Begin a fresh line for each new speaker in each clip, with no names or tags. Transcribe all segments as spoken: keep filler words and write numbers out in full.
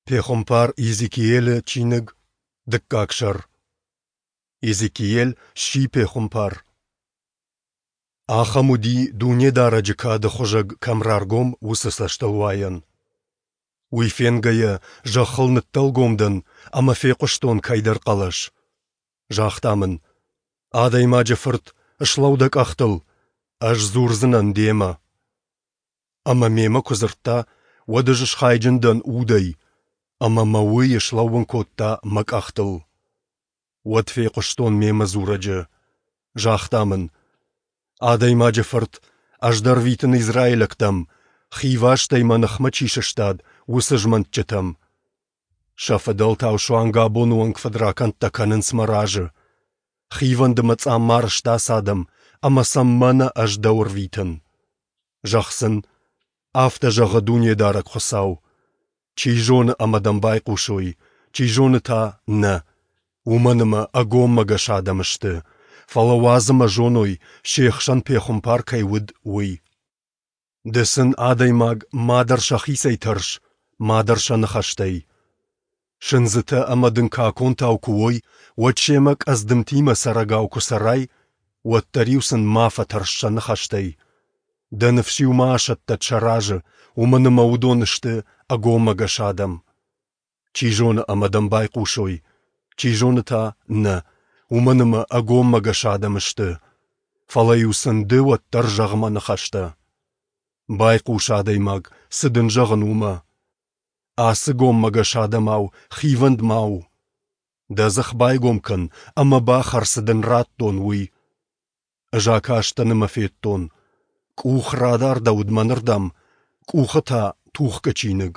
Пехуымпар Иезекиилы чиныг, дыккаг сӕр. Иезекиил сси пехуымпар. Ахӕм уыди, Дунедарӕджы кады хуызӕг кӕм раргом, уыцы цӕстылуайӕн. Уый фенгӕйӕ, зӕххыл ныддӕлгом дӕн ӕмӕ фехъуыстон кӕйдӕр хъӕлӕс. Загъта мын: «Адӕймаджы фырт, слӕуу дӕ къӕхтыл, ӕз дзурдзынӕн демӕ». Ӕмӕ мемӕ куы дзырдта, уӕд ӕз схайджын дӕн Удӕй, ӕмӕ мӕ Уый слӕууын кодта мӕ къӕхтыл. Уӕд фехъуыстон мемӕ дзурӕджы. Загъта мын: «Адӕймаджы фырт, ӕз дӕ рвитын израилӕгтӕм, хивастӕй мӕ ныхмӕ чи сыстад, уыцы змӕнтджытӕм. Сӕ фыдӕлтау суанг абоны онг фыдракӕндтӕ кӕнынц мӕ разы. Хивӕнд ӕмӕ цъаммар сты ацы адӕм, ӕмӕ сӕм мӕнӕ ӕз дӕу ӕрвитын. Зӕгъ сын: Афтӕ зӕгъы Дунедарӕг Хуыцау. Чи зоны ӕмӕ дӕм байхъусой, чи зоны та нӕ, уымӕн ӕмӕ ӕгоммӕгӕс адӕм сты, фӕлӕ уадз ӕмӕ зоной, се хсӕн пехуымпар кӕй уыд, уый. Ды сын, адӕймаг, мадӕр сӕхицӕй тӕрс, мадӕр сӕ ныхӕстӕй. Сындзытӕ ӕмӕ дын каконтау куы уой, уӕд семӕ къӕдздымтимӕ цӕрӕгау куы цӕрай, уӕддӕр-иу сын ма фӕтӕрс сӕ ныхӕстӕй. Дӕ ныфс-иу ма асӕттӕд сӕ разы, уымӕн ӕмӕ уыдон сты ӕгоммӕгӕс адӕм. Чи зоны ӕмӕ дӕм байхъусой, чи зоны та нӕ, уымӕн ӕмӕ ӕгоммӕгӕс адӕм сты. Фӕлӕ-иу сын ды уӕддӕр зӕгъ мӕ ныхӕстӕ. Байхъус, адӕймаг, цы дын зӕгъын, уымӕ. Ацы гоммӕгӕс адӕмау хивӕнд ма у. Дӕ дзых байгом кӕн ӕмӕ бахӕр, цы дын радтон, уый. Ӕз акастӕн ӕмӕ федтон, къух радардӕуыд мӕнырдӕм, къухы та тухгӕ чиныг.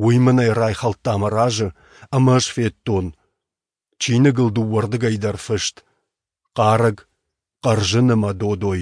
Уый мын ӕй райхӕлдта мӕ разы, ӕмӕ ӕз федтон. Чиныгыл дыууӕрдыгӕй дӕр фыст: хъарӕг, хъӕрзын ӕмӕ додой.